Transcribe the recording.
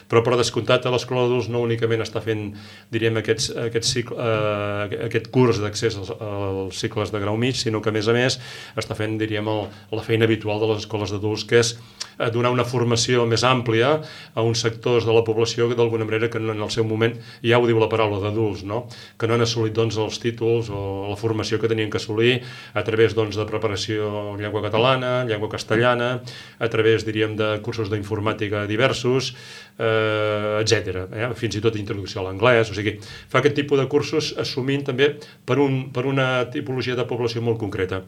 Però per descomptat a l'Escola d'Adults no únicament està fent, diríem, aquest curs d'accés als cicles de grau mig, sinó que a més està fent, diríem, la feina habitual de les escoles d'adults, que és donar una formació més àmplia a uns sectors de la població que d'alguna manera que en el seu moment, ja ho diu la paraula, d'adults, no? Que no han assolit doncs, els títols o la formació que tenien que assolir a través doncs, de preparació en llengua catalana, llengua castellana, a través, diríem, de cursos d'informàtica diversos, etc. Fins i tot introducció a l'anglès, o sigui, fa aquest tipus de cursos assumint també per una tipologia de població molt concreta.